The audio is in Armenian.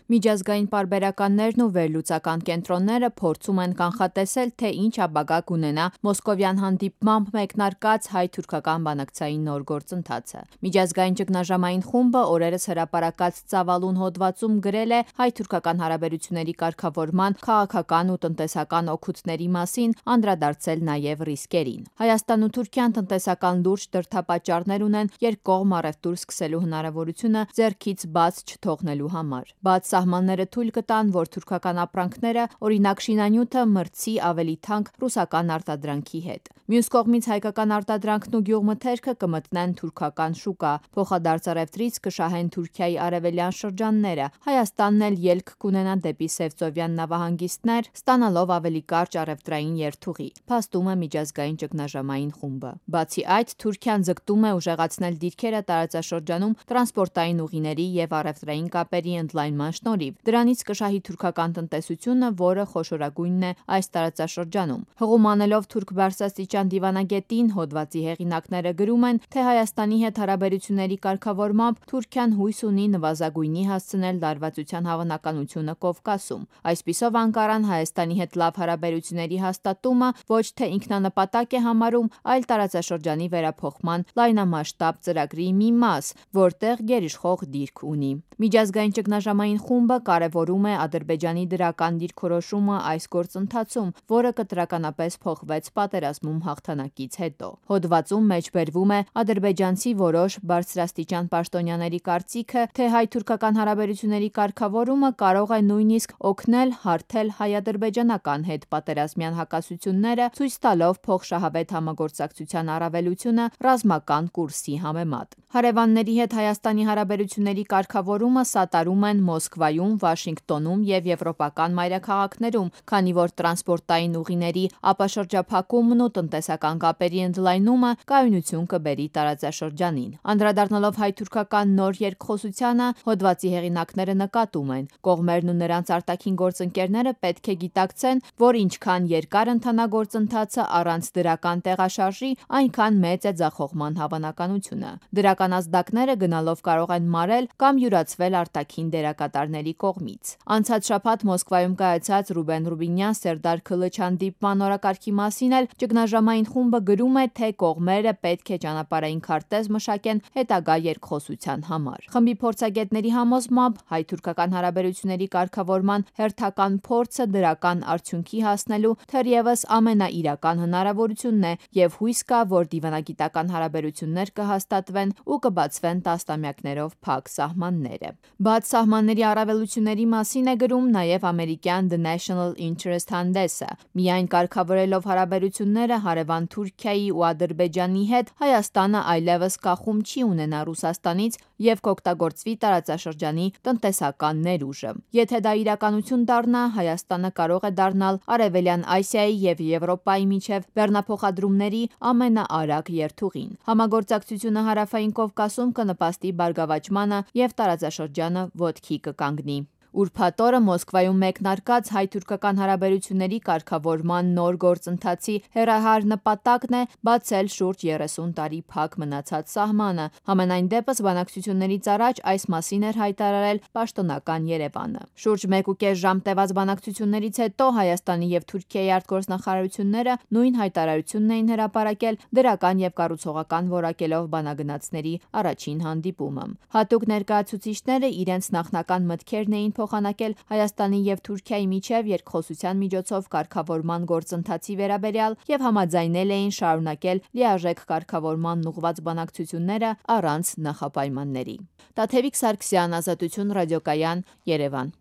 Միջազգային պարբերականներն ու վերլուծական կենտրոնները փորձում են կանխատեսել, թե ինչ ապագա կունենա մոսկովյան հանդիպմամբ մեկնարկած հայ-թուրքական բանակցային նոր գործընթացը։ Միջազգային ճգնաժամային խումբը օրերս հրապարակած ծավալուն հոդվածում գրել է հայ-թուրքական հարաբերությունների կարգավորման քաղաքական ու տնտեսական օգուտների մասին, անդրադարձել նաև ռիսկերին։ Հայաստանն ու Թուրքիան տնտեսական լուրջ դրդապատճառներ ունեն երկկողմ առևտուր սկսելու հնարավորությունը ձեռքից բաց չթողնելու համար։ Բաց սահմանները թույլ կտան, որ թուրքական ապրանքները, օրինակ շինանյութը, մրցի ավելի թանկ ռուսական արտադրանքի հետ։ Մյուս կողմից հայկական արտադրանքն ու գյուղմթերքը կմտնեն թուրքական շուկա, փոխադարձ առևտրից կշահեն Թուրքիայի արևելյան շրջանները, Հայաստանն էլ ելք կունենա դեպի Սևծովյան նավահանգիստներ, ստանալով ավելի կարճ առևտրային երթուղի, փաստում է միջազգային ճգնաժամային խումբը։ Բացի այդ, Թուրքիան ձգտում է ուժեղացնել դիրքերը տարածաշրջանում տրանսպորտային ուղիների և առևտրային կապերի ընդլայնման շնորհիվ։ Դրանից կշահի թուրքական տնտեսությունը, որը խոշորագույնն է այս տարածաշրջանում։ Հղում անելով թուրք բարձրաստիճան դիվանագետին, հոդվածի հեղինակները գրում են, թե Հայաստանի հետ հարաբերությունների կարգավորմամբ Թուրքիան հույս ունի նվազագույնի հասցնել լարվածության հավանականությունը Կովկասում։ Այսպիսով Անկարան Հայաստանի հետ լավ հարաբերությունների հաստատումը ոչ թե ինքնանպատակ է համարում, այլ տարածաշրջանի վերափոխման լայնամասշտաբ ծրագրի մի մաս, որտեղ գերիշխող դիրք ունի։ Միջազգային ճգնաժամային խումբը կարևորում է Ադրբեջանի դրական դիրքորոշումը այս գործընթացում, որը կտրականապես փոխվեց պատերազմում հաղթանակից հետո։ Հոդվածում մեջբերվում է ադրբեջանցի որոշ բարձրաստիճան պաշտոնյաների կարծիքը, թե հայ-թուրքական հարաբերությունների կարգավորումը կարող է նույնիսկ օգնել հարթել հայ-ադրբեջանական հետպատերազմյան հակասությունները, ցույց տալով փոխշահավետ համագործակցության առավելությունը ռազմական կուրսի համեմատ։ Հարևանների հետ Հայաստանի հարաբերությունների կարգավորումը սատարում են Մոսկվայում, Վաշինգտոնում և եվրոպական մայրաքաղաքներում, քանի որ տրանսպորտային ուղիների ապաշրջափակումն ու տնտեսական կապերի ընդլայնումը կայունություն կբերի տարածաշրջանին։ Անդրադառնալով հայ-թուրքական նոր երկխոսությանը, հոդվածի հեղինակները նկատում են. կողմերն ու նրանց արտաքին գործընկերները պետք է գիտակցեն, որ ինչքան երկար ընթանա գործընթացը առանց դրական տեղաշարժի, այնքան մեծ է ձախողման հավանականությունը։ Դրական ազդակները գնալով կարող են մարել կամ յուրացվել արտաքին դերակատարների կողմից։ Անցած շաբաթ Մոսկվայում կայացած Ռուբեն Ռուբինյան-Սերդար Քլիչ հանդիպման օրակարգի մասին էլ ճգնաժամային խումբը գրում է, թե կողմերը պետք է ճանապարհային քարտեզ մշակեն հետագա երկխոսության համար։ Խմբի փորձագետների համոզմամբ հայ-թուրքական հարաբերությունների կարգավորման հերթական փորձը դրական արդյունքի հասնելու թերևս ամենաիրական հնարավորությունն է և հույս կա, որ դիվանագիտական հարաբերություններ կհաստատվեն ու կբացվեն տասնամյակներով փակ սահմանները։ Բաց սահմանների առավելությունների մասին է գրում նաև ամերիկյան The National Interest հանդեսը։ Միայն կարգավորելով հարաբերությունները հարևան Թուրքիայի ու Ադրբեջանի հետ, Հայաստանը այլևս կախում չի ունենա Ռուսաստանից և կօգտագործվի տարածաշրջանի տնտեսական ներուժը։ Եթե դա իրականություն դառնա, Հայաստանը կարող է դառնալ Արևելյան Ասիայի և Եվրոպայի միջև բեռնափոխադրումների ամենաարագ երթուղին։ Համագործակցությունը Հարավային Կովկասում կնպաստի բարգավաճմանը և տարածաշրջանը ոտքի կկանգնի։ Ուրբաթ օրը Մոսկվայում մեկնարկած հայ-թուրքական հարաբերությունների կարգավորման նոր գործընթացի հեռահար նպատակն է բացել շուրջ 30 տարի փակ մնացած սահմանը։ Համենայն դեպս բանակցություններից առաջ այս մասին էր հայտարարել պաշտոնական Երևանը։ Շուրջ 1.5 ժամ տևած բանակցություններից հետո Հայաստանի և Թուրքիայի արտգործնախարարությունները նույն հայտարարությունն էին հրապարակել դրական և կառուցողական որակելով բանագնացների առաջին հանդիպումը։ Հատուկ ներկայացուցիչները իրենց նախնական մտքերն էին փոխանակել Հայաստանի և Թուրքիայի միջև երկխոսության միջոցով կարգավորման գործընթացի վերաբերյալ և համաձայնել էին շարունակել լիարժեք կարգավորմանն ուղղված բանակցությունները առանց նախապայմանների։ Տաթևիկ Սարգսյան, Ազատություն ռադիոկայան, Երևան։